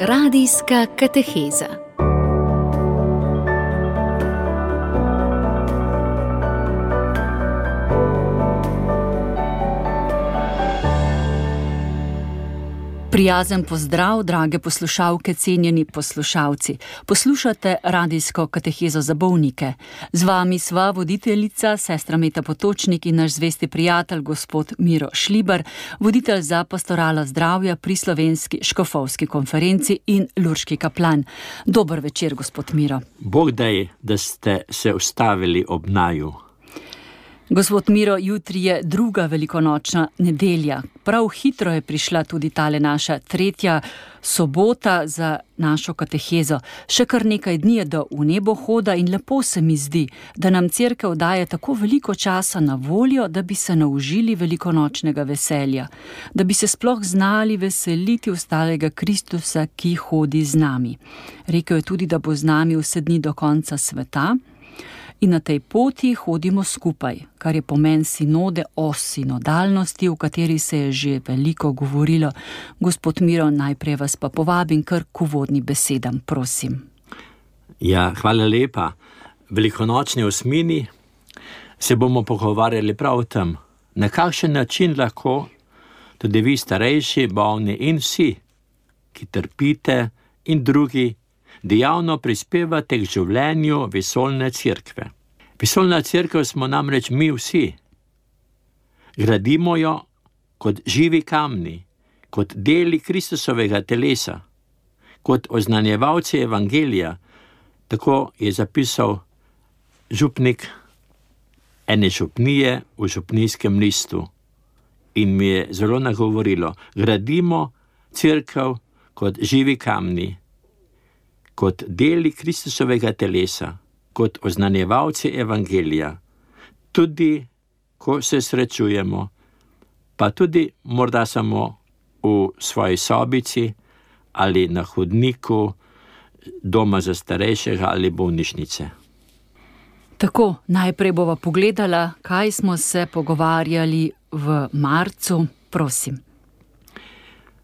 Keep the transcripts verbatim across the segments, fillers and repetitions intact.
Radijska kateheza. Prijazen pozdrav, drage poslušalke, cenjeni poslušalci. Poslušate radijsko katehezo za bolnike. Z vami sva voditeljica, sestra Meta Potočnik in naš zvesti prijatelj, gospod Miro Šlibar, voditelj za pastoralo zdravja pri Slovenski škofovski konferenci in lurški kaplan. Dober večer, gospod Miro. Bog daj, da ste se ustavili ob naju. Gospod Miro, jutri je druga velikonočna nedelja. Prav hitro je prišla tudi tale naša tretja sobota za našo katehezo. Še kar nekaj dni je do v nebohoda in lepo se mi zdi, da nam cerkev daje tako veliko časa na voljo, da bi se naužili velikonočnega veselja, da bi se sploh znali veseliti ostalega Kristusa, ki hodi z nami. Rekel je tudi, da bo z nami vse dni do konca sveta. In na tej poti hodimo skupaj, kar je pomen sinode o sinodalnosti, v kateri se je že veliko govorilo. Gospod Miro, najprej vas pa povabim kar k uvodni besedam, prosim. Ja, hvala lepa. Velikonočni osmini se bomo pogovarjali prav o tem, na kakšen način lahko tudi vi starejši, bolni in vsi, ki trpite in drugi, dejavno prispevate k življenju vesoljne cerkve. Vesoljna cerkev smo namreč mi vsi. Gradimo jo kot živi kamni, kot deli Kristusovega telesa, kot oznanjevalci evangelija. Tako je zapisal župnik ene župnije v župnijskem listu. In mi je zelo nagovorilo, gradimo cerkev kot živi kamni, kot deli Kristusovega telesa, kot oznanjevalci evangelija, tudi ko se srečujemo, pa tudi morda samo v svoji sobici ali na hodniku doma za starejšega ali bolnišnice. Tako, najprej bova pogledala, kaj smo se pogovarjali v marcu, prosim.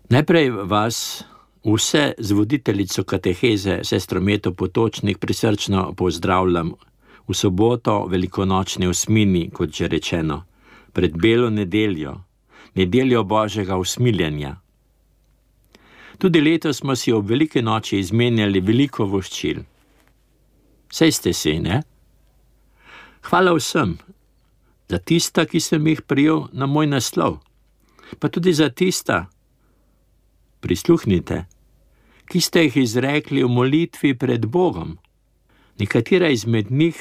Najprej vas vse z voditeljico kateheze, sestro Meto Potočnik, prisrčno pozdravljam v soboto velikonočni osmini, kot že rečeno, pred belo nedeljo, nedeljo Božjega usmiljenja. Tudi letos smo si ob veliki noči izmenjali veliko voščil. Saj ste si, ne? Hvala vsem za tista, ki sem jih prijel na moj naslov, pa tudi za tista, prisluhnite, ki ste jih izrekli v molitvi pred Bogom. Nekatera izmed njih,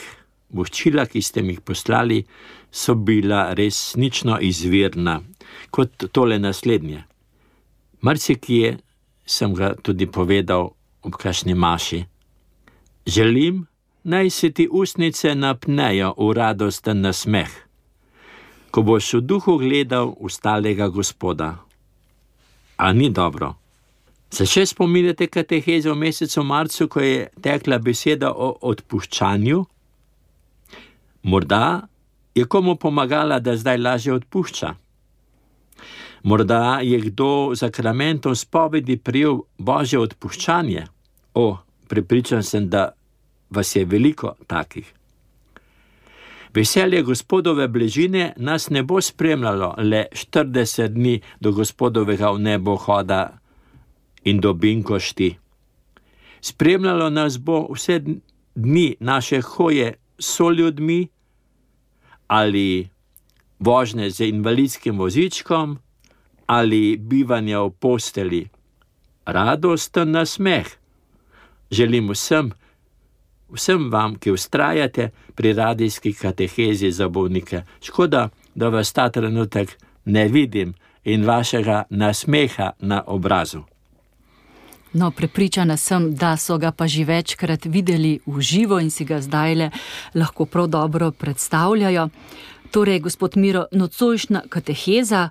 voščila, ki ste mi jih poslali, so bila resnično izvirna, kot tole naslednje. Marsikje sem ga tudi povedal ob kakšni maši. Želim, naj se ti ustnice napnejo v radosten nasmeh, ko boš v duhu gledal ustalega Gospoda. A ni dobro? Se še spominjate kateheze v mesecu marcu, ko je tekla beseda o odpuščanju? Morda je komu pomagala, da zdaj lažje odpušča. Morda je kdo zakramentom spovedi prijel Božje odpuščanje. O, prepričan sem, da vas je veliko takih. Veselje Gospodove bližine nas ne bo spremljalo le štirideset dni do Gospodovega v nebo hoda in do binkošti. Spremljalo nas bo vse dni naše hoje s soljudmi ali vožnje z invalidskim vozičkom ali bivanja v posteli. Radosten nasmeh želim vsem, vsem vam, ki vztrajate pri radijski katehezi za bolnike. Škoda, da vas ta trenutek ne vidim in vašega nasmeha na obrazu. No, prepričana sem, da so ga pa že večkrat videli v živo in si ga zdajle lahko prav dobro predstavljajo. Torej, gospod Miro, nocojšnja kateheza,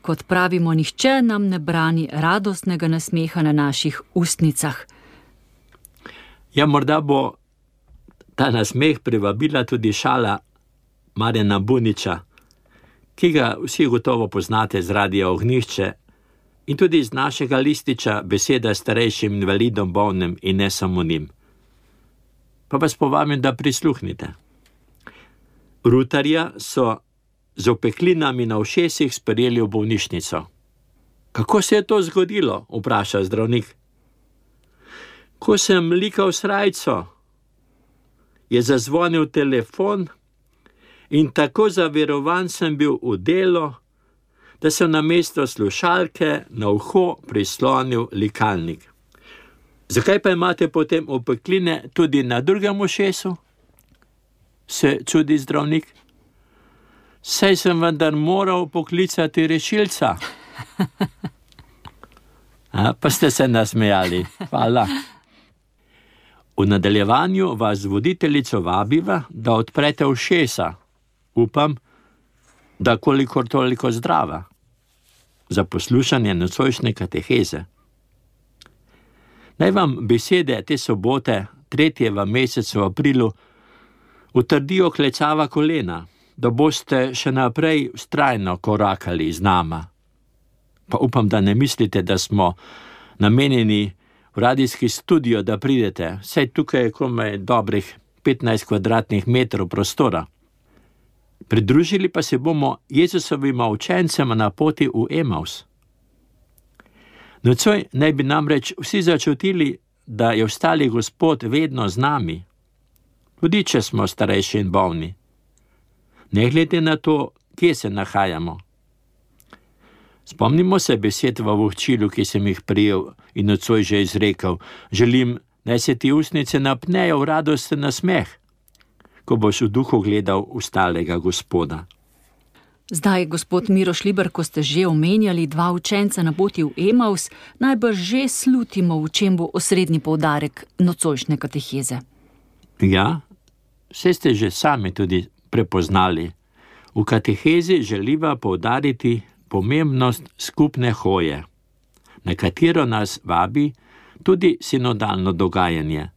kot pravimo, nihče nam ne brani radostnega nasmeha na naših ustnicah. Ja, morda bo ta nasmeh privabila tudi šala Marjana Buniča, ki ga vsi gotovo poznate z Radia Ognjišče, in tudi iz našega lističa beseda starejšim invalidom, bolnim in ne samo njim. Pa vas povabim, da prisluhnite. Rutarja so z opeklinami na ušesih sprejeli v bolnišnico. Kako se je to zgodilo, vpraša zdravnik. Ko sem likal srajco, je zazvonil telefon in tako zaverovan sem bil v delo, da sem namesto slušalke na uho prislonil likalnik. Zakaj pa imate potem opekline tudi na drugem ušesu? Se čudi zdravnik. Saj sem vendar moral poklicati rešilca. A, pa ste se nasmejali. Hvala. V nadaljevanju vas voditeljico vabiva, da odprete ušesa. Upam, da kolikor toliko zdrava. Za poslušanje nocojšnje kateheze. Naj vam besede te sobote, tretje v mesecu aprilu, utrdijo klecava kolena, da boste še naprej vztrajno korakali z nama. Pa upam, da ne mislite, da smo namenjeni v radijski studio, da pridete. Saj tukaj je komaj dobrih petnajst kvadratnih metrov prostora. Pridružili pa se bomo Jezusovima učencema na poti v Emaus. Nocoj naj bi namreč vsi začutili, da je ostali Gospod vedno z nami, tudi če smo starejši in bolni. Ne glede na to, kje se nahajamo. Spomnimo se besed v vohčilu, ki sem jih prijel in nocoj že izrekel. Želim, naj se ti ustnice napnejo v radosten nasmeh, ko boš v duhu gledal ustalega Gospoda. Zdaj, gospod Miro Šliber, ko ste že omenjali dva učenca na poti v Emaus, najbrž že slutimo, v čem bo osrednji poudarek nocojšnje kateheze. Ja, vse ste že sami tudi prepoznali. V katehezi želiva poudariti pomembnost skupne hoje, na katero nas vabi tudi sinodalno dogajanje,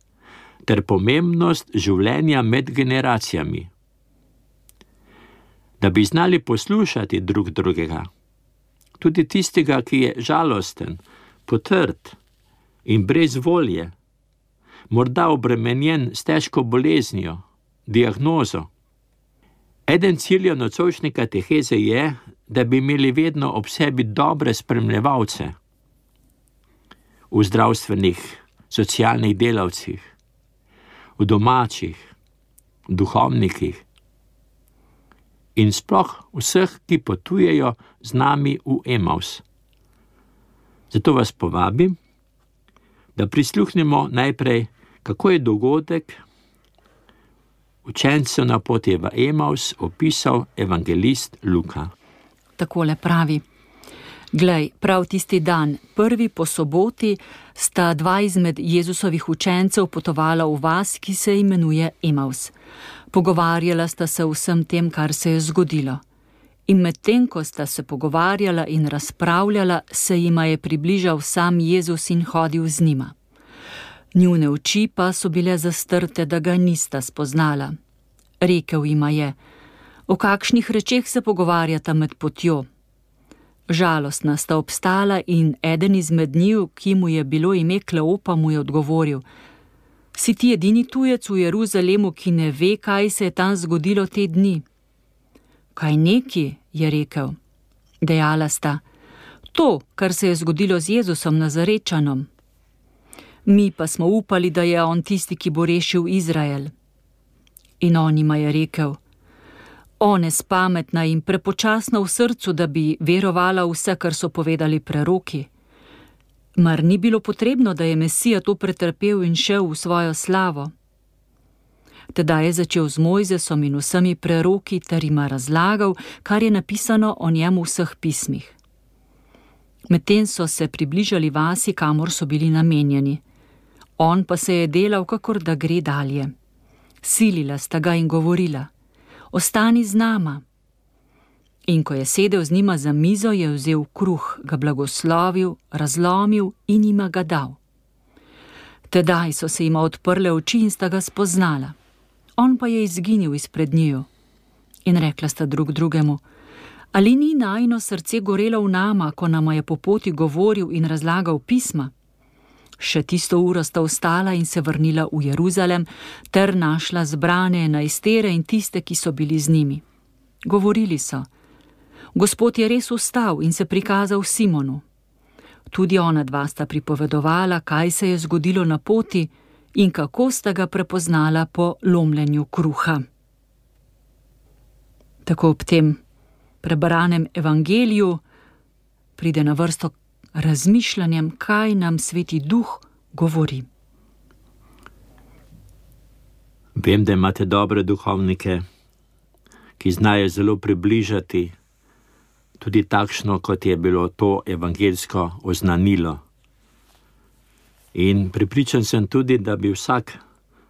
ter pomembnost življenja med generacijami. Da bi znali poslušati drug drugega, tudi tistega, ki je žalosten, potrt in brez volje, morda obremenjen s težko boleznijo, diagnozo. Eden ciljev nocojšnje kateheze je, da bi imeli vedno ob sebi dobre spremljevalce v zdravstvenih, socialnih delavcih, v domačih, duhovnikih in sploh vseh, ki potujejo z nami v Emaus. Zato vas povabim, da prisluhnemo najprej, kako je dogodek učencev na poti v Emaus opisal evangelist Luka. Takole pravi. Glej, prav tisti dan, prvi po soboti, sta dva izmed Jezusovih učencev potovala v vas, ki se imenuje Emaus. Pogovarjala sta se o vsem tem, kar se je zgodilo. In medtem, ko sta se pogovarjala in razpravljala, se jima je približal sam Jezus in hodil z njima. Njune oči pa so bile zastrte, da ga nista spoznala. Rekel jima je: o kakšnih rečeh se pogovarjata med potjo? Žalostna sta obstala in eden izmed njiju, ki mu je bilo ime Kleopa, mu je odgovoril: si ti edini tujec v Jeruzalemu, ki ne ve, kaj se je tam zgodilo te dni? Kaj neki, je rekel. Dejala sta: to, kar se je zgodilo z Jezusom Nazarečanom. Mi pa smo upali, da je on tisti, ki bo rešil Izrael. In on jima je rekel: o nespametna in prepočasna v srcu, da bi verovala vse, kar so povedali preroki. Mar ni bilo potrebno, da je Mesija to pretrpel in šel v svojo slavo? Teda je začel z Mojzesom in vsemi preroki ter jima razlagal, kar je napisano o njemu v vseh pismih. Medtem so se približali vasi, kamor so bili namenjeni. On pa se je delal, kakor da gre dalje. Silila sta ga in govorila: ostani z nama. In ko je sedel z njima za mizo, je vzel kruh, ga blagoslovil, razlomil in jima ga dal. Tedaj so se jima odprle oči in sta ga spoznala. On pa je izginil izpred njiju. In rekla sta drug drugemu: Ali ni najino srce gorelo v nama, ko nama je po poti govoril in razlagal pisma? Še tisto uro sta ostala in se vrnila v Jeruzalem, ter našla zbrane enajstere in tiste, ki so bili z njimi. Govorili so: Gospod je res vstal in se prikazal Simonu. Tudi ona dva sta pripovedovala, kaj se je zgodilo na poti in kako sta ga prepoznala po lomljenju kruha. Tako ob tem prebranem evangeliju pride na vrsto razmišljanjem, kaj nam Sveti Duh govori. Vem, da imate dobre duhovnike, ki znajo zelo približati tudi takšno, kot je bilo to evangeljsko oznanilo. In prepričan sem tudi, da bi vsak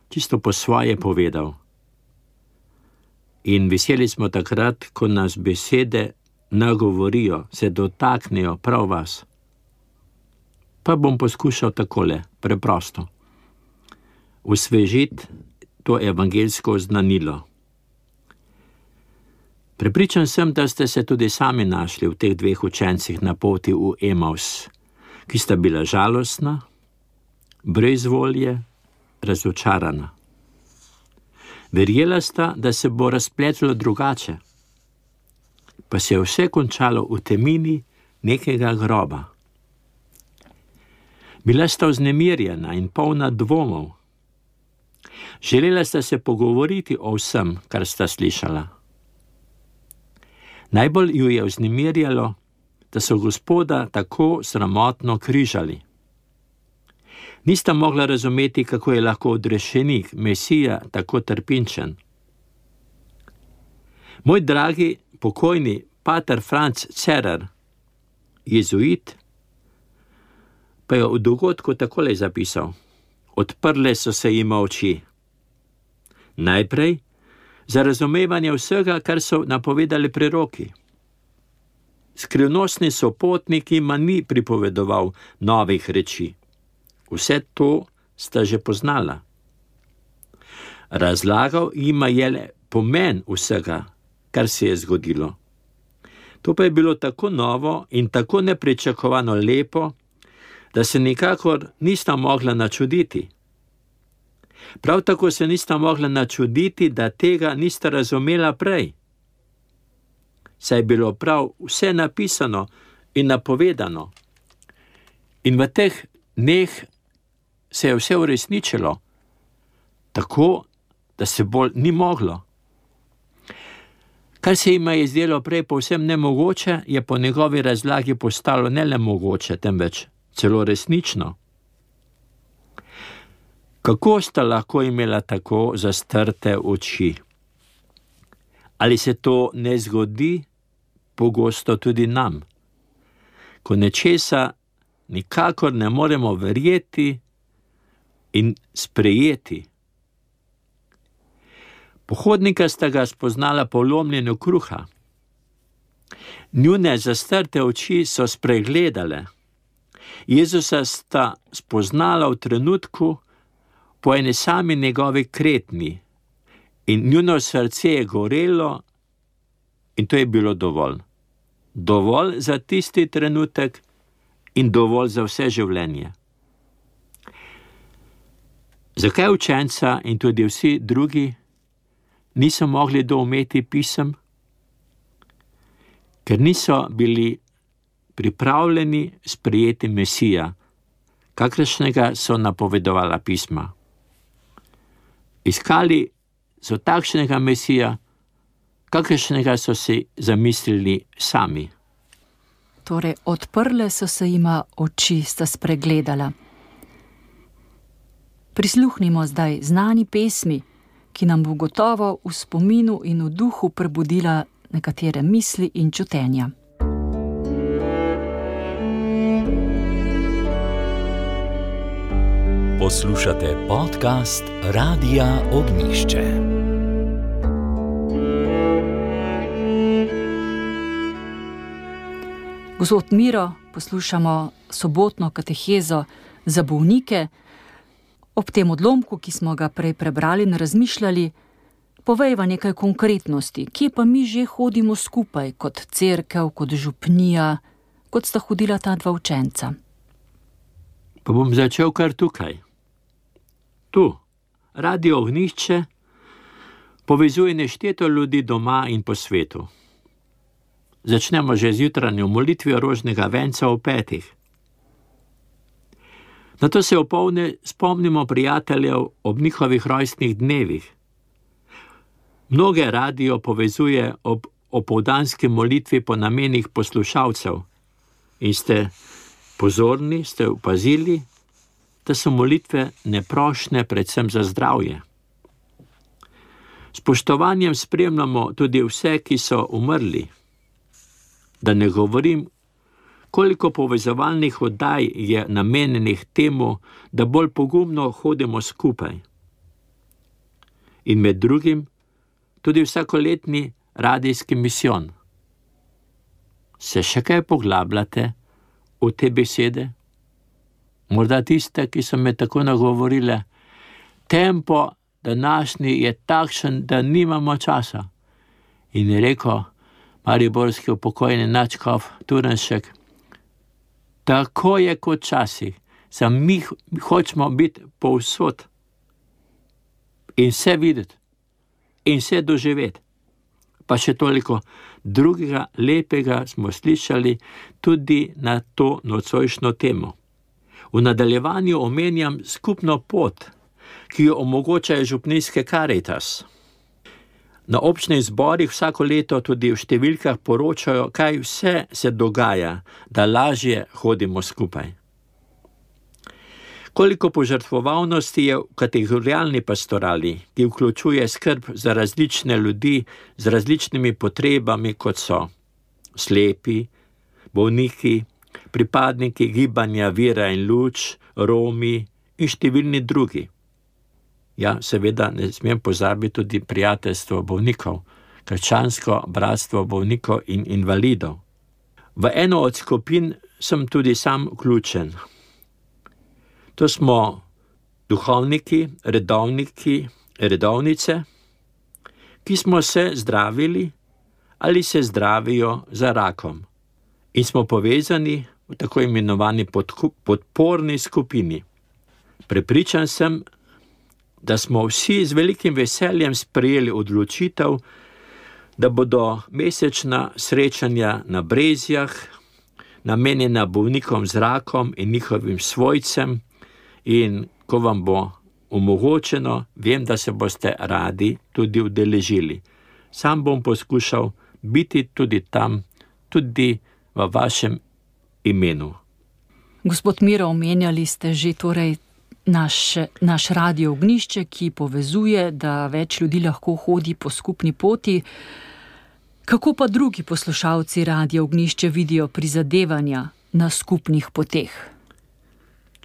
čisto po svoje povedal. In veseli smo takrat, ko nas besede nagovorijo, se dotaknejo prav vas. Pa bom poskušal takole, preprosto, osvežiti to evangeljsko oznanilo. Prepričan sem, da ste se tudi sami našli v teh dveh učencih na poti v Emaus, ki sta bila žalostna, brez volje, razočarana. Verjela sta, da se bo razpletlo drugače, pa se je vse končalo v temini nekega groba. Bila sta vznemirjena in polna dvomov. Želela sta se pogovoriti o vsem, kar sta slišala. Najbolj ju je vznemirjalo, da so Gospoda tako sramotno križali. Nista mogla razumeti, kako je lahko odrešenik, Mesija, tako trpinčen. Moj dragi pokojni pater Franc Cerar, jezuit, pa je v dogodku takole zapisal: Odprle so se jima oči. Najprej za razumevanje vsega, kar so napovedali preroki. Skrivnostni sopotnik jima ni pripovedoval novih reči. Vse to sta že poznala. Razlagal jima je le pomen vsega, kar se je zgodilo. To pa je bilo tako novo in tako nepričakovano lepo, da se nikakor nista mogla načuditi. Prav tako se nista mogla načuditi, da tega nista razumela prej. Saj je bilo prav vse napisano in napovedano. In v teh dneh se je vse uresničilo, tako, da se bolj ni moglo. Kar se jima je zdelo prej povsem nemogoče, je po njegovi razlagi postalo ne le mogoče, temveč celo resnično. Kako sta lahko imela tako zastrte oči? Ali se to ne zgodi pogosto tudi nam, ko nečesa nikakor ne moremo verjeti in sprejeti? Pohodnika sta ga spoznala po lomljenju kruha. Njune zastrte oči so spregledale. Jezusa sta spoznala v trenutku po eni sami njegovi kretnji in njuno srce je gorelo in to je bilo dovolj. Dovolj za tisti trenutek in dovolj za vse življenje. Zakaj učenca in tudi vsi drugi niso mogli doumeti pisem? Ker niso bili pripravljeni sprejeti Mesija, kakršnega so napovedovala pisma. Iskali so takšnega Mesija, kakršnega so si zamislili sami. Torej, odprle so se jima oči, sta spregledala. Prisluhnimo zdaj znani pesmi, ki nam bo gotovo v spominu in v duhu prebudila nekatere misli in čutenja. Poslušate podcast Radia Ognjišče. Gospod Miro, poslušamo sobotno katehezo za bolnike. Ob tem odlomku, ki smo ga prej prebrali in razmišljali, povejva nekaj konkretnosti, kje pa mi že hodimo skupaj, kot cerkev, kot župnija, kot sta hodila ta dva učenca. Pa bom začel kar tukaj. Tu, Radio Ognjišče, povezuje nešteto ljudi doma in po svetu. Začnemo že z jutranjo molitvijo rožnega venca ob petih. Nato se opoldne spomnimo prijateljev ob njihovih rojstnih dnevih. Mnoge radio povezuje ob opoldanski molitvi po namenih poslušalcev in ste pozorni, ste opazili, da so molitve neprošne predvsem za zdravje. Spoštovanjem spremljamo tudi vse, ki so umrli. Da ne govorim, koliko povezovalnih oddaj je namenjenih temu, da bolj pogumno hodimo skupaj. In med drugim tudi vsakoletni radijski misijon. Se še kaj poglabljate v te besede? Morda tiste, ki so me tako nagovorile, tempo današnji je takšen, da nimamo časa. In je rekel mariborski upokojeni nadškof Turnšek, tako je kot časih, samo mi hočemo biti povsod in vse videti in vse doživeti. Pa še toliko drugega lepega smo slišali tudi na to nocojšnjo temo. V nadaljevanju omenjam skupno pot, ki jo omogočajo župnijske Karitas. Na občnih zborih vsako leto tudi v številkah poročajo, kaj vse se dogaja, da lažje hodimo skupaj. Koliko požrtvovalnosti je v kategorialni pastorali, ki vključuje skrb za različne ljudi z različnimi potrebami, kot so slepi, bolniki, pripadniki gibanja Vira in luč, Romi in številni drugi. Ja, seveda ne smem pozabiti tudi prijateljstvo bolnikov, krščansko bratstvo bolnikov in invalidov. V eno od skupin sem tudi sam vključen. To smo duhovniki, redovniki, redovnice, ki smo se zdravili ali se zdravijo za rakom in smo povezani v tako imenovani podporni skupini. Prepričan sem, da smo vsi z velikim veseljem sprejeli odločitev, da bodo mesečna srečanja na Brezjah namenjena bolnikom z rakom in njihovim svojcem, in ko vam bo omogočeno, vem, da se boste radi tudi udeležili. Sam bom poskušal biti tudi tam, tudi v vašem imenu. Gospod Miro, omenjali ste že torej naš, naš Radio Ognjišče, ki povezuje, da več ljudi lahko hodi po skupni poti. Kako pa drugi poslušalci Radio Ognjišče vidijo prizadevanja na skupnih poteh?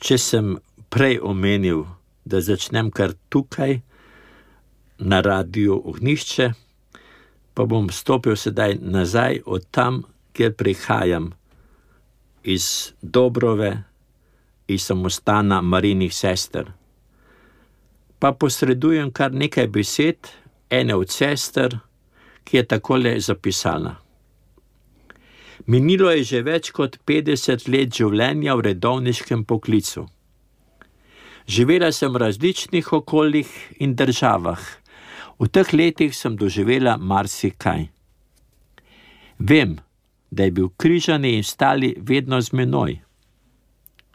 Če sem prej omenil, da začnem kar tukaj na Radio Ognjišče, pa bom stopil sedaj nazaj od tam, kjer prihajam, iz Dobrove, iz samostana Marijinih sester. Pa posredujem kar nekaj besed ene od sester, ki je takole zapisala. Minilo je že več kot petdeset let življenja v redovniškem poklicu. Živela sem v različnih okoljih in državah. V teh letih sem doživela marsikaj. Vem, da je bil križani in stali vedno z menoj.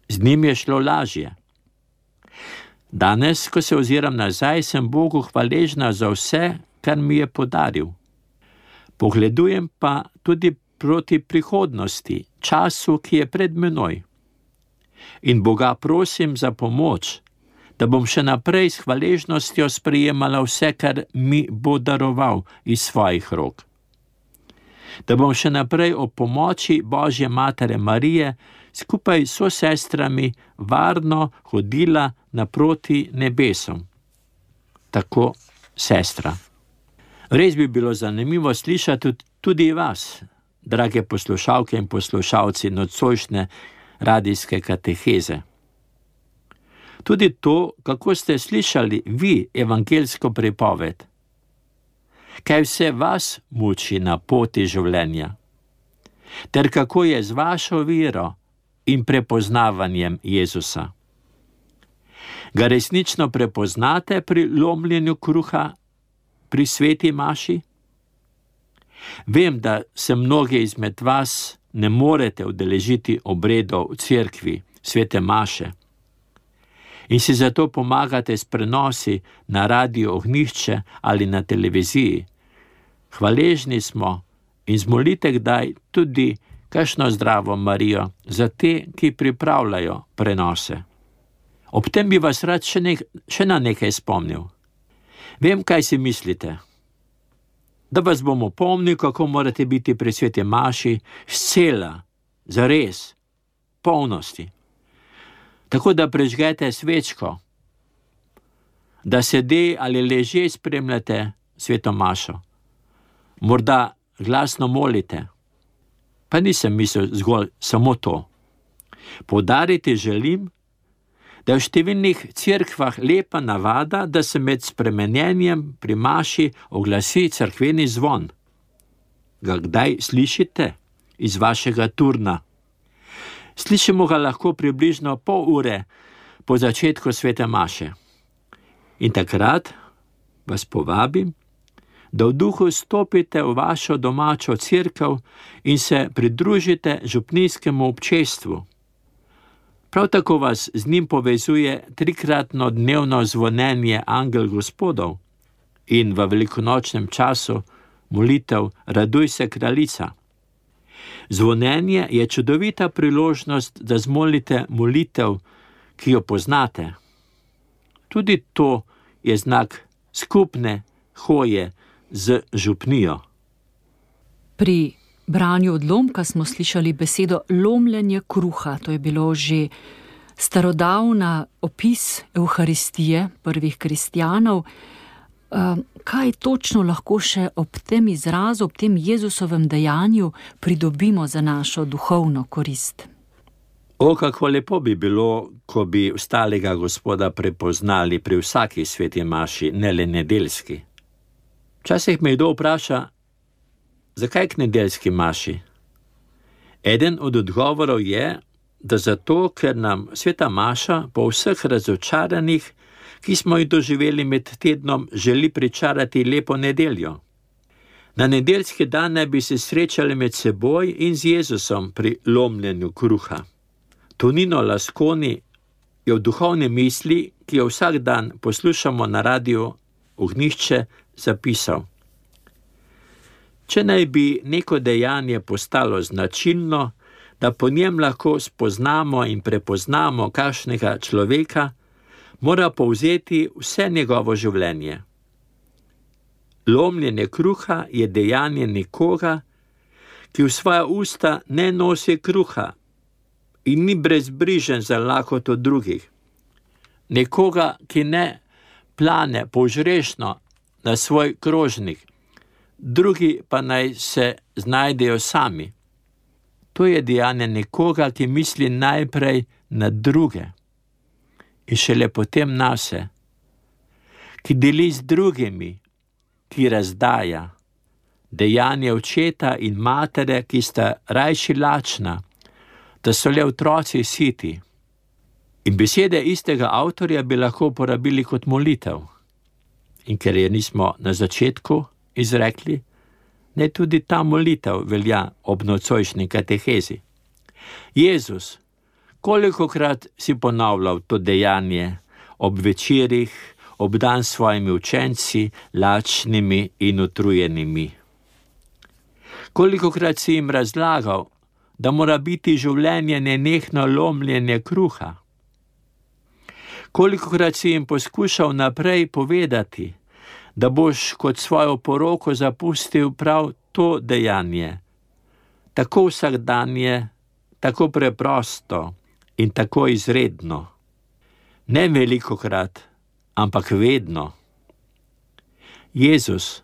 Z njim je šlo lažje. Danes, ko se oziram nazaj, sem Bogu hvaležna za vse, kar mi je podaril. Pogledujem pa tudi proti prihodnosti, času, ki je pred menoj. In Boga prosim za pomoč, da bom še naprej s hvaležnostjo sprejemala vse, kar mi bo daroval iz svojih rok. Da bom še naprej ob pomoči Božje Matere Marije skupaj s sestrami varno hodila naproti nebesom. Tako sestra. Res bi bilo zanimivo slišati tudi vas, drage poslušalke in poslušalci nocojšnje radijske kateheze. Tudi to, kako ste slišali vi evangeljsko pripoved. kaj vse vas muči na poti življenja, ter kako je z vašo vero in prepoznavanjem Jezusa. Ga resnično prepoznate pri lomljenju kruha, pri sveti maši? Vem, da se mnogi izmed vas ne morete udeležiti obredov v cerkvi, svete maše, in si zato pomagate s prenosi na Radio Ognjišče ali na televiziji. Hvaležni smo in zmolite kdaj tudi kakšno zdravo Marijo za te, ki pripravljajo prenose. Ob tem bi vas rad še, nek, še na nekaj spomnil. Vem, kaj si mislite. Da vas bom opomnil, kako morate biti pri sveti maši scela, zares, polnosti. Tako da prežgete svečko, da sede ali leže spremljate sveto mašo. Morda glasno molite. Pa nisem mislil zgolj samo to. Poudariti želim, da je v številnih cerkvah lepa navada, da se med spremenjenjem pri maši oglasi cerkveni zvon. Ga kdaj slišite iz vašega turna? Slišimo ga lahko približno pol ure po začetku svete maše. In takrat vas povabim, da v duhu stopite v vašo domačo cerkev in se pridružite župnijskemu občestvu. Prav tako vas z njim povezuje trikratno dnevno zvonjenje Angel Gospodov in v velikonočnem času molitev Raduj se, kraljica. Zvonjenje je čudovita priložnost, da zmolite molitev, ki jo poznate. Tudi to je znak skupne hoje z župnijo. Pri branju odlomka smo slišali besedo lomljenje kruha. To je bilo že starodavna opis Evharistije prvih kristjanov. Kaj točno lahko še ob tem izrazu, ob tem Jezusovem dejanju pridobimo za našo duhovno korist? O, kako lepo bi bilo, ko bi ostalega Gospoda prepoznali pri vsaki sveti maši, ne le nedeljski. Včasih me kdo vpraša, zakaj k nedeljski maši? Eden od odgovorov je, da zato, ker nam sveta maša po vseh razočaranjih, ki smo jih doživeli med tednom, želi pričarati lepo nedeljo. Na nedeljski dan naj bi se srečali med seboj in z Jezusom pri lomljenju kruha. Tonino Lasconi je v duhovni misli, ki jo vsak dan poslušamo na Radiu Ognjišče, zapisal: Če naj bi neko dejanje postalo značilno, da po njem lahko spoznamo in prepoznamo kakšnega človeka, mora povzeti vse njegovo življenje. Lomljenje kruha je dejanje nekoga, ki v svoja usta ne nosi kruha in ni brezbrižen za lakoto drugih. Nekoga, ki ne plane požrešno na svoj krožnik, drugi pa naj se znajdejo sami. To je dejanje nekoga, ki misli najprej na druge in šele potem nase, ki deli z drugimi, ki razdaja. Dejanje očeta in matere, ki sta rajši lačna, da so le otroci siti. In besede istega avtorja bi lahko uporabili kot molitev. In ker je nismo na začetku izrekli, ne tudi ta molitev velja ob nocojšnji katehezi. Jezus, kolikokrat si ponavljal to dejanje ob večerih, ob dan s svojimi učenci, lačnimi in utrujenimi. Kolikokrat si jim razlagal, da mora biti življenje nenehno lomljenje kruha. Kolikokrat si jim poskušal naprej povedati, da boš kot svojo poroko zapustil prav to dejanje, tako vsakdanje, tako preprosto in tako izredno. Ne velikokrat, ampak vedno. Jezus,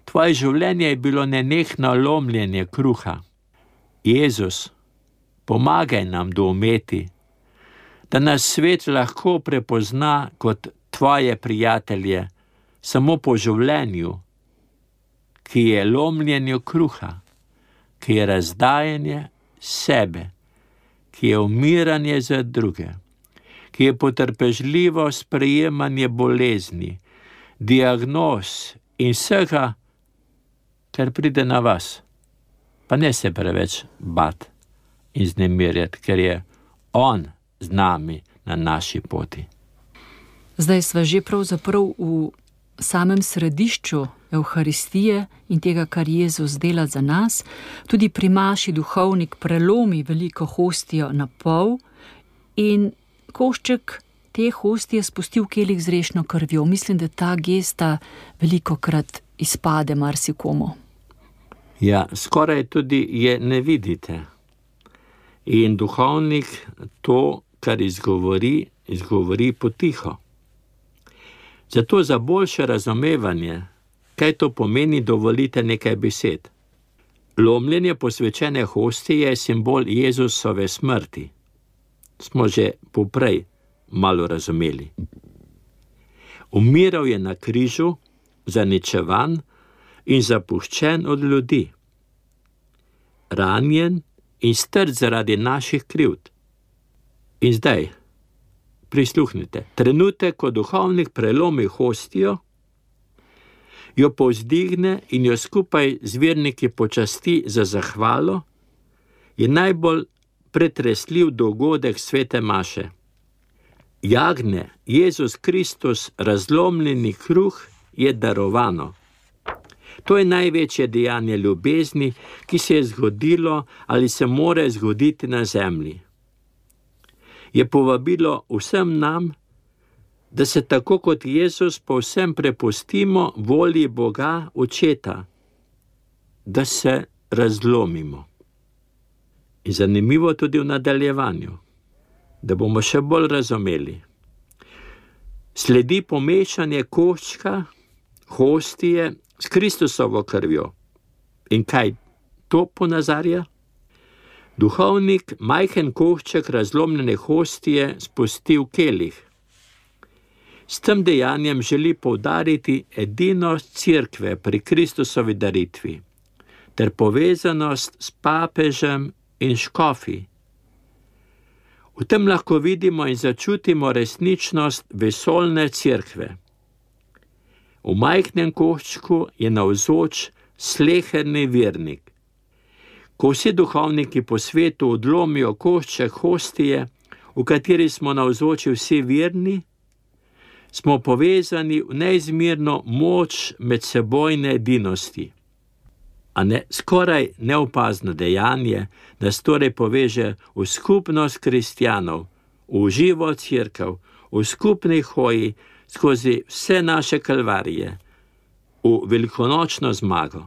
tvoje življenje je bilo nenehno lomljenje kruha. Jezus, pomagaj nam doumeti, da nas svet lahko prepozna kot tvoje prijatelje samo po življenju ki je lomljenje kruha, ki je razdajanje sebe, ki je umiranje za druge, ki je potrpežljivo sprejemanje bolezni, diagnoz in vsega, kar pride na vas. Pa ne se preveč bat in znemirjati, ker je on z nami na naši poti. Zdaj sva že pravzaprav v samem središču Evharistije in tega, kar Jezus dela za nas. Tudi pri maši duhovnik prelomi veliko hostijo na pol in košček te hostije spusti v kelih z rešno krvjo. Mislim, da ta gesta velikokrat izpade marsikomu. Ja, skoraj tudi je ne vidite. In duhovnik to, kar izgovori, izgovori potiho. Zato za boljše razumevanje, kaj to pomeni, dovolite nekaj besed. Lomljenje posvečene hostije je simbol Jezusove smrti. Smo že poprej malo razumeli. Umiral je na križu, zaničevan in zapuščen od ljudi. Ranjen in strt zaradi naših krivd. In zdaj, prisluhnite, trenutek, ko duhovnik prelomi hostijo, jo povzdigne in jo skupaj z verniki počasti za zahvalo, je najbolj pretresljiv dogodek svete maše. Jagne Jezus Kristus razlomljeni kruh je darovano. To je največje dejanje ljubezni, ki se je zgodilo ali se more zgoditi na zemlji. Je povabilo vsem nam, da se tako kot Jezus povsem prepustimo volji Boga Očeta, da se razlomimo. In zanimivo tudi v nadaljevanju, da bomo še bolj razumeli. Sledi pomešanje koščka, hostije s Kristusovo krvjo. In kaj to ponazarja? Duhovnik majhen košček razlomljene hostije spusti v kelih. S tem dejanjem želi poudariti edinost cerkve pri Kristusovi daritvi ter povezanost s papežem in škofi. V tem lahko vidimo in začutimo resničnost vesoljne cerkve. V majhnem koščku je navzoč sleherni vernik. Ko vsi duhovniki po svetu odlomijo košček hostije, v kateri smo navzoči vsi verni, smo povezani v neizmerno moč medsebojne edinosti. A ne skoraj neopazno dejanje, da se torej poveže v skupnost kristjanov, v živo cerkev, v skupni hoji skozi vse naše kalvarije, v velikonočno zmago.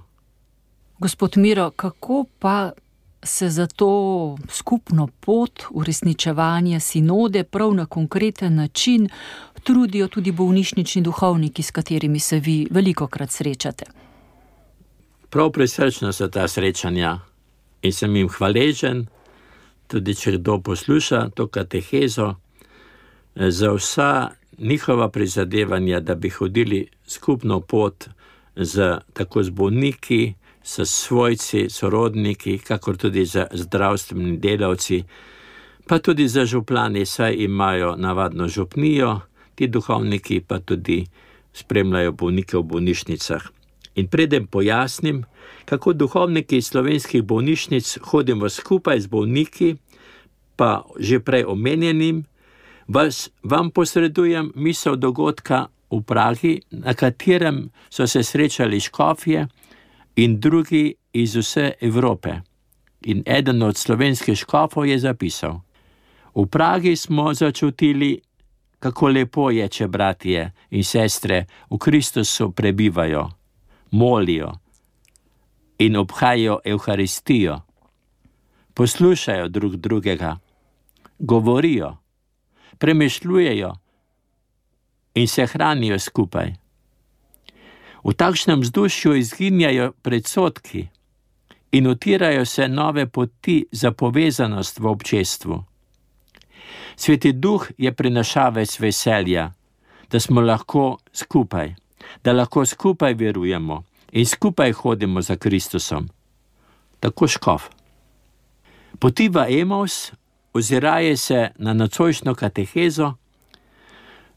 Gospod Miro, kako pa se za to skupno pot uresničevanja sinode prav na konkreten način trudijo tudi bolnišnični duhovniki, s katerimi se vi velikokrat srečate? Prav prisrčna so ta srečanja in sem jim hvaležen, tudi če kdo posluša to katehezo, za vsa njihova prizadevanja, da bi hodili skupno pot z, tako z bolniki, s svojci, sorodniki, kakor tudi z zdravstvenimi delavci, pa tudi za župani, saj imajo navadno župnijo, ti duhovniki pa tudi spremljajo bolnike v bolnišnicah. In preden pojasnim, kako duhovniki iz slovenskih bolnišnic hodimo skupaj z bolniki, pa že prej omenjenim, vas, vam posredujem misel dogodka v Pragi, na katerem so se srečali škofje in drugi iz vse Evrope. In eden od slovenskih škofov je zapisal: v Pragi smo začutili, kako lepo je, če bratje in sestre v Kristusu prebivajo, molijo in obhajajo Evharistijo, poslušajo drug drugega, govorijo, premišljujejo in se hranijo skupaj. V takšnem vzdušju izginjajo predsodki in utirajo se nove poti za povezanost v občestvu. Sveti Duh je prinašavec veselja, da smo lahko skupaj, da lahko skupaj verujemo in skupaj hodimo za Kristusom. Tako škof. Poti v Emaus, oziraje se na nocojšnjo katehezo,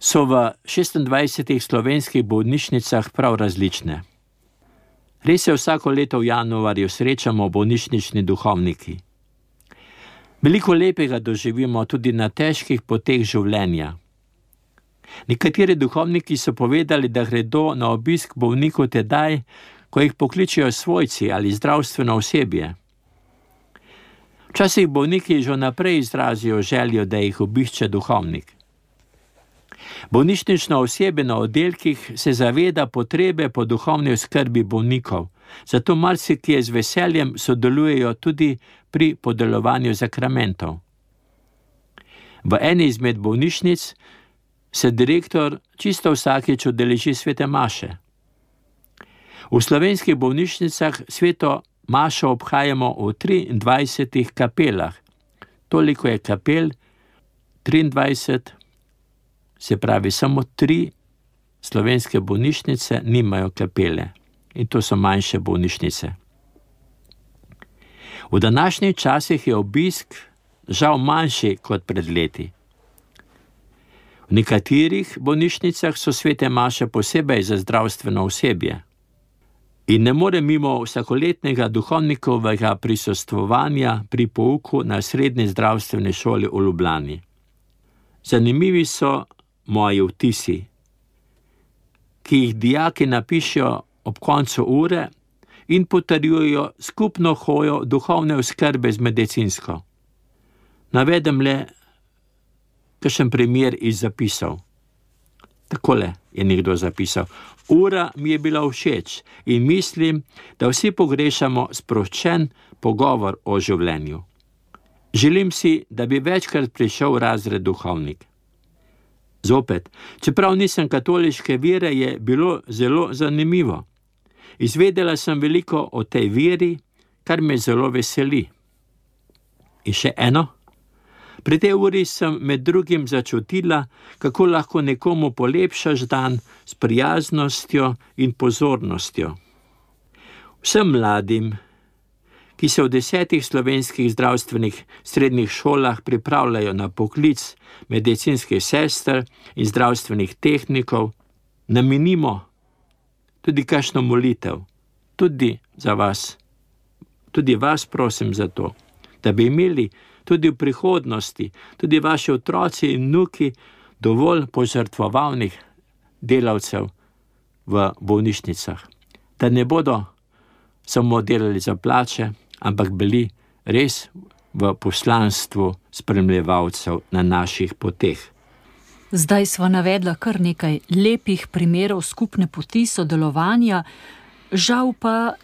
so v šestindvajsetih slovenskih bolnišnicah prav različne. Res se vsako leto v januarju srečamo bolnišnični duhovniki. Veliko lepega doživimo tudi na težkih poteh življenja. Nekateri duhovniki so povedali, da gredo na obisk bolnikov tedaj, ko jih pokličejo svojci ali zdravstveno osebje. Včasih bolniki že naprej izrazijo željo, da jih obišče duhovnik. Bolnišnično osebje na oddelkih se zaveda potrebe po duhovni oskrbi bolnikov, zato marsikje z veseljem sodelujejo tudi pri podeljevanju sakramentov. V eni izmed bolnišnic se direktor čisto vsakič udeleži svete maše. V slovenskih bolnišnicah sveto mašo obhajamo v triindvajsetih kapelah. Toliko je kapel, triindvajset, se pravi samo tri slovenske bolnišnice nimajo kapele. In to so manjše bolnišnice. V današnjih časih je obisk žal manjši kot pred leti. V nekaterih bolnišnicah so svete maše posebej za zdravstveno osebje. In ne more mimo vsakoletnega duhovnikovega prisostvovanja pri pouku na srednji zdravstveni šoli v Ljubljani. Zanimivi so moji vtisi, ki jih dijaki napišejo ob koncu ure in potrjujejo skupno hojo duhovne oskrbe z medicinsko. Navedem le kakšen primer iz zapisov. Takole je nekdo zapisal. Ura mi je bila všeč in mislim, da vsi pogrešamo sproščen pogovor o življenju. Želim si, da bi večkrat prišel v razred duhovnik. Zopet, čeprav nisem katoliške vere, je bilo zelo zanimivo. Izvedela sem veliko o tej veri, kar me zelo veseli. In še eno. Pri tej uri sem med drugim začutila, kako lahko nekomu polepšaš dan s prijaznostjo in pozornostjo. Vsem mladim, ki se v desetih slovenskih zdravstvenih srednjih šolah pripravljajo na poklic medicinskih sester in zdravstvenih tehnikov, namenimo tudi kakšno molitev, tudi za vas. Tudi vas prosim za to, da bi imeli tudi v prihodnosti, tudi vaši otroci in vnuki dovolj požrtvovalnih delavcev v bolnišnicah, da ne bodo samo delali za plače, ampak bili res v poslanstvu spremljevalcev na naših poteh. Zdaj sva navedla kar nekaj lepih primerov skupne poti sodelovanja, žal pa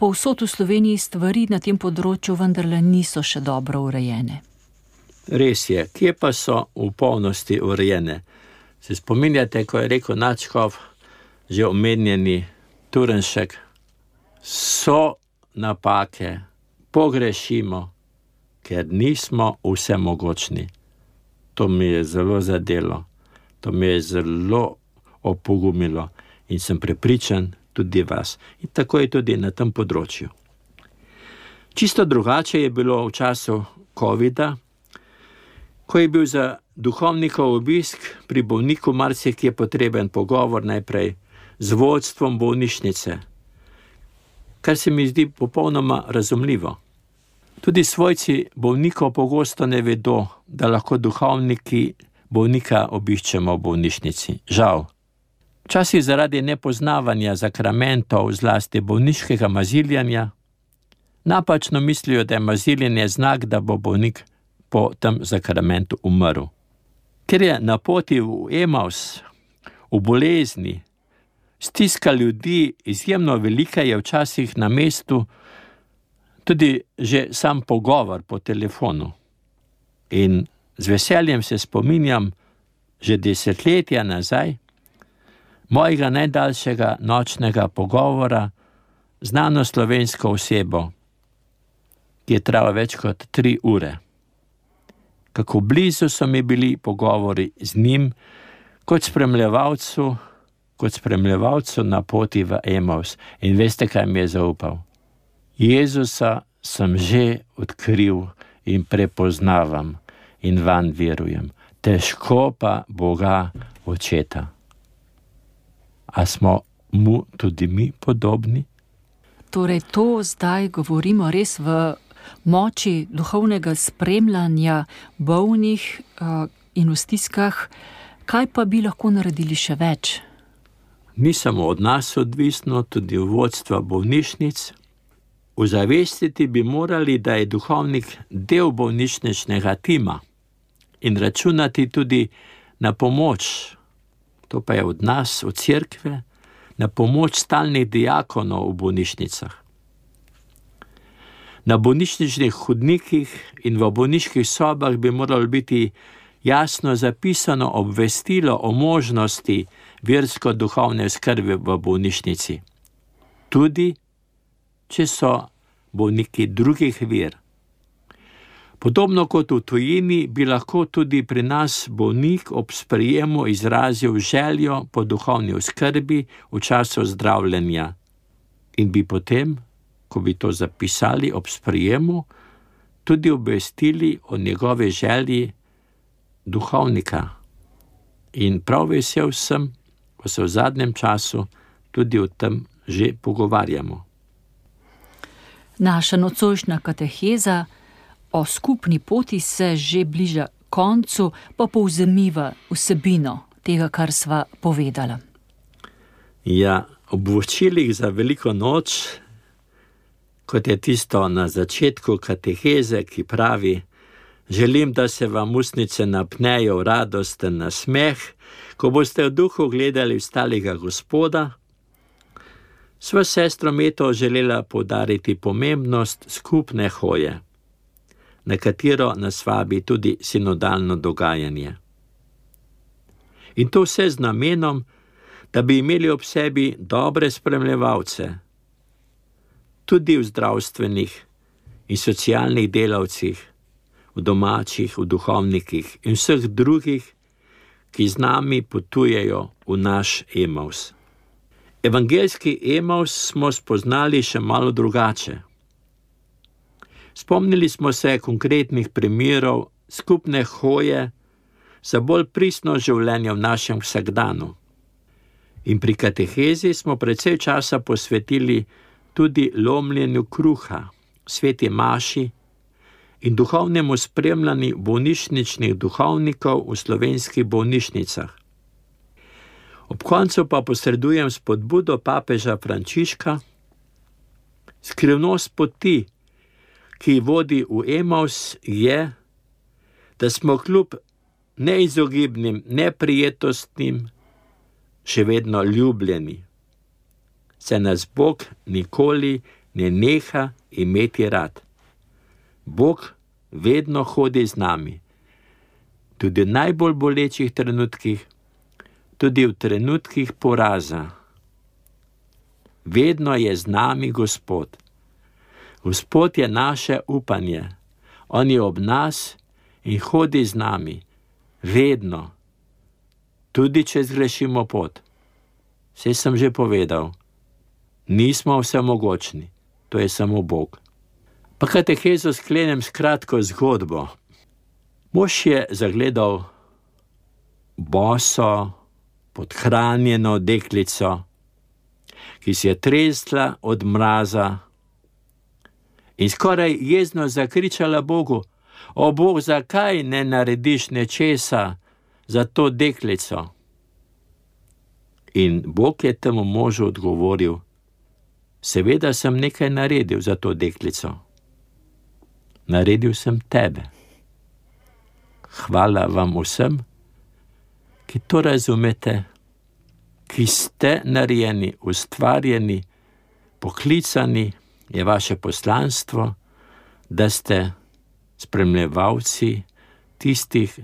povsod v Sloveniji stvari na tem področju vendarle niso še dobro urejene. Res je, kje pa so v polnosti urejene? Se spominjate, ko je rekel nadškof, že omenjeni Turnšek, so napake, pogrešimo, ker nismo vsemogočni. To mi je zelo zadelo, to mi je zelo opogumilo in sem prepričan tudi vas. In tako je tudi na tem področju. Čisto drugače je bilo v času covida, ko je bil za duhovnikov obisk pri bolniku marsikje potreben pogovor najprej z vodstvom bolnišnice, kar se mi zdi popolnoma razumljivo. Tudi svojci bolnikov pogosto ne vedo, da lahko duhovniki bolnika obiščemo v bolnišnici. Žal. Včasih zaradi nepoznavanja sakramentov, zlasti bolniškega maziljanja, napačno mislijo, da je maziljenje znak, da bo bolnik po tem sakramentu umrl. Ker je na poti v Emaus, v bolezni, stiska ljudi izjemno velika, je včasih na mestu tudi že sam pogovor po telefonu. In z veseljem se spominjam že desetletja nazaj mojega najdaljšega nočnega pogovora z znano slovensko osebo, ki je trajal več kot tri ure. Kako blizu so mi bili pogovori z njim, kot spremljevalcu, kot spremljevalcu na poti v Emaus. In veste, kaj mi je zaupal? Jezusa sem že odkril in prepoznavam in vanj verujem. Težko pa Boga Očeta. A smo mu tudi mi podobni? Torej, to zdaj govorimo res v moči duhovnega spremljanja bolnih uh, in v stiskah. Kaj pa bi lahko naredili še več? Ni samo od nas odvisno, tudi od vodstva bolnišnic. Ozavestiti bi morali, da je duhovnik del bolnišničnega tima in računati tudi na pomoč, to pa je od nas, od cerkve, na pomoč stalnih diakonov v bolnišnicah. Na bolnišničnih hodnikih in v bolniških sobah bi moralo biti jasno zapisano obvestilo o možnosti versko-duhovne oskrbe v bolnišnici. Tudi, če so bolniki drugih ver. Podobno kot v tujini bi lahko tudi pri nas bolnik ob sprejemu izrazil željo po duhovni oskrbi v času zdravljenja in bi potem, ko bi to zapisali ob sprejemu, tudi obvestili o njegove želji duhovnika. In prav vesel sem, ko se v zadnjem času tudi o tem že pogovarjamo. Naša nocojšnja kateheza o skupni poti se že bliža koncu, pa povzemiva vsebino tega, kar sva povedala. Ja, ob voščilih za veliko noč, kot je tisto na začetku kateheze, ki pravi: želim, da se vam ustnice napnejo v radosten nasmeh, ko boste v duhu gledali vstalega Gospoda, sva sestro Meto želela poudariti pomembnost skupne hoje, na katero nas vabi tudi sinodalno dogajanje. In to vse z namenom, da bi imeli ob sebi dobre spremljevalce, tudi v zdravstvenih in socialnih delavcih, v domačih, v duhovnikih in vseh drugih, ki z nami potujejo v naš Emaus. Evangeljski Emaus smo spoznali še malo drugače. Spomnili smo se konkretnih primerov skupne hoje za bolj pristno življenje v našem vsakdanu. In pri katehezi smo precej časa posvetili tudi lomljenju kruha, sveti maši in duhovnemu spremljanju bolnišničnih duhovnikov v slovenskih bolnišnicah. Ob koncu pa posredujem spodbudo papeža Frančiška: skrivnost poti, ki vodi v Emaus, je, da smo kljub neizogibnim neprijetnostim še vedno ljubljeni. Se nas Bog nikoli ne neha imeti rad. Bog vedno hodi z nami, tudi v najbolj bolečih trenutkih, tudi v trenutkih poraza. Vedno je z nami Gospod. Gospod je naše upanje. On je ob nas in hodi z nami. Vedno. Tudi če zgrešimo pot. Saj sem že povedal, nismo vsemogočni, to je samo Bog. Pa katehezo sklenem s kratko zgodbo. Mož je zagledal boso, podhranjeno deklico, ki si je tresla od mraza in skoraj jezno zakričala Bogu: o Bog, zakaj ne narediš nečesa za to deklico? In Bog je temu možu odgovoril: seveda sem nekaj naredil za to deklico. Naredil sem tebe. Hvala vam vsem, ki to razumete, ki ste narejeni, ustvarjeni, poklicani, je vaše poslanstvo, da ste spremljevalci tistih,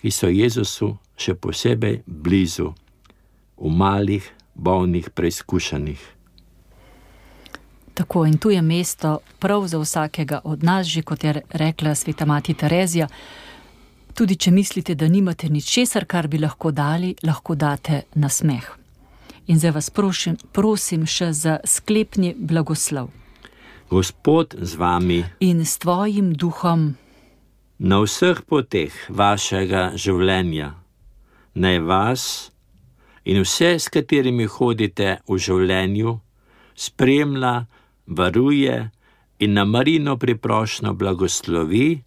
ki so Jezusu še posebej blizu, v malih, bolnih, preizkušanih. Tako, in tu je mesto prav za vsakega od nas, že kot je rekla sveta mati Terezija. Tudi če mislite, da nimate ničesar, kar bi lahko dali, lahko date nasmeh. In zdaj vas prosim, prosim še za sklepni blagoslov. Gospod z vami In s tvojim duhom. na vseh poteh vašega življenja. Naj vas in vse, s katerimi hodite v življenju, spremlja, varuje in na Marino priprošnjo blagoslovi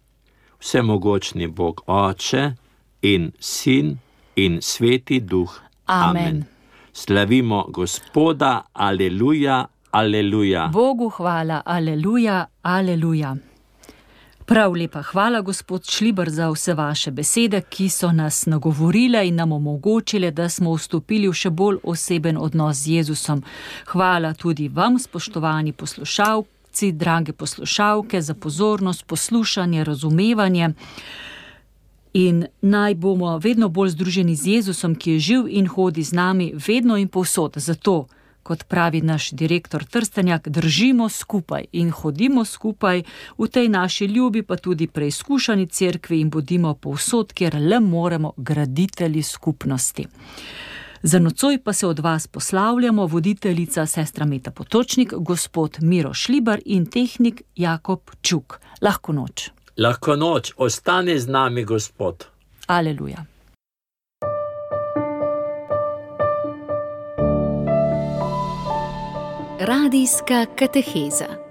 vsemogočni Bog Oče in Sin in Sveti Duh. Amen. Slavimo Gospoda, aleluja, aleluja. Bogu hvala, aleluja, aleluja. Prav lepa hvala, gospod Šlibar, za vse vaše besede, ki so nas nagovorile in nam omogočile, da smo vstopili v še bolj oseben odnos z Jezusom. Hvala tudi vam, spoštovani poslušalci, drage poslušalke, za pozornost, poslušanje, razumevanje. In naj bomo vedno bolj združeni z Jezusom, ki je živ in hodi z nami vedno in povsod. Zato, kot pravi naš direktor Trstenjak, držimo skupaj in hodimo skupaj v tej naši ljubi, pa tudi preizkušani cerkvi in bodimo povsod, kjer le moremo, graditelji skupnosti. Za nocoj pa se od vas poslavljamo voditeljica sestra Meta Potočnik, gospod Miro Šlibar in tehnik Jakob Čuk. Lahko noč. Lahko noč, ostani z nami, Gospod. Aleluja. Radijska kateheza.